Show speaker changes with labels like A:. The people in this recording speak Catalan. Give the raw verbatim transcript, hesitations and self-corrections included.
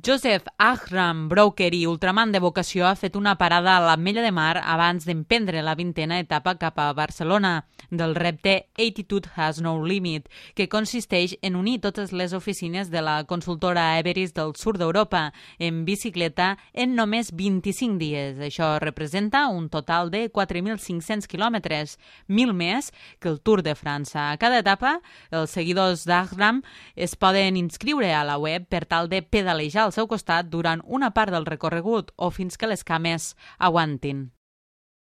A: Joseph Ahram, broker i ultraman de vocació, ha fet una parada a l'Ametlla de Mar abans d'emprendre la vintena etapa cap a Barcelona del repte Attitude Has No Limit, que consisteix en unir totes les oficines de la consultora Everest del sud d'Europa en bicicleta en només vint-i-cinc dies. Això representa un total de quatre mil cinc-cents quilòmetres, mil més que el Tour de França. A cada etapa, els seguidors d'Ahram es poden inscriure a la web per tal de pedalejar al seu costat durant una part del recorregut o fins que les cames aguantin.